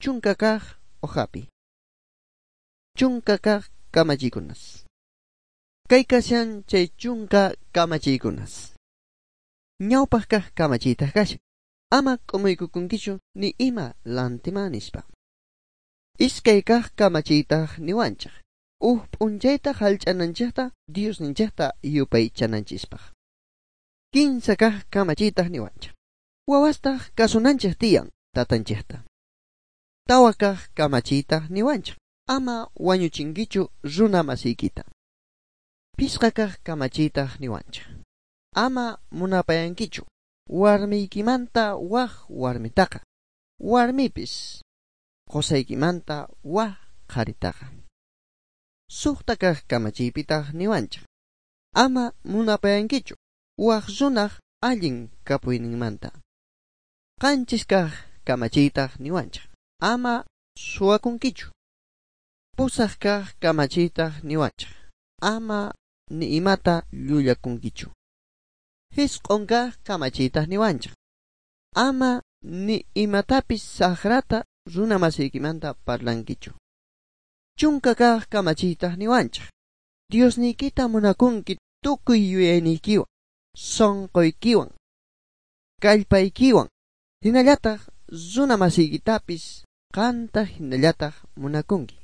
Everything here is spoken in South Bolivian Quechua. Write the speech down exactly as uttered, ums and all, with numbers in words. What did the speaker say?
Chunka kaq hojapi. Chunka kaq kamachiykunas. Kay kashan chay chunka kamachiykunas. Ñawpaq kaq kamachiytaq kashan. Ama k'umuykukunkichu ni ima lantima nispa. Iskay kaq kamachiytaq niwanchik. Uj p'unchayta jallch'ananchikta Diosninchikta yupaychananchispaq. Kinsa kaq kamachiytaq niwanchik. Wawastaq kasunanchik tiyan tatanchikta. Tawa kaq kamachiytaq niwanchik. Ama wañuchinkichu runa masiykita. Pisqa kaq kamachiytaq niwanchik. Ama munapayankichu warmiykimanta waj warmitaqa. Warmipis qosaykimanta waj qharitaqa. Suqta kaq kamachiypitaq niwanchik. Ama munapayankichu waj runaq allin kapuyninmanta. Qanchis kaq kamachiytaq niwanchik. Ama suwakunkichu. Pusaq kaq kamachiytaq niwanchik. Ama ni imata llullakunkichu. Jisq'un kaq kamachiytaq niwanchik. Ama ni imatapis saqrata runa masiykimanta parlankichu. Chunka kaq kamachiytaq niwanchik. Diosniykita munakunki tukuy yuyayniykiwan, sunquykiwan, kallpaykiwan, hinallataq runa masiykitapis qanta hinallataq munakunki.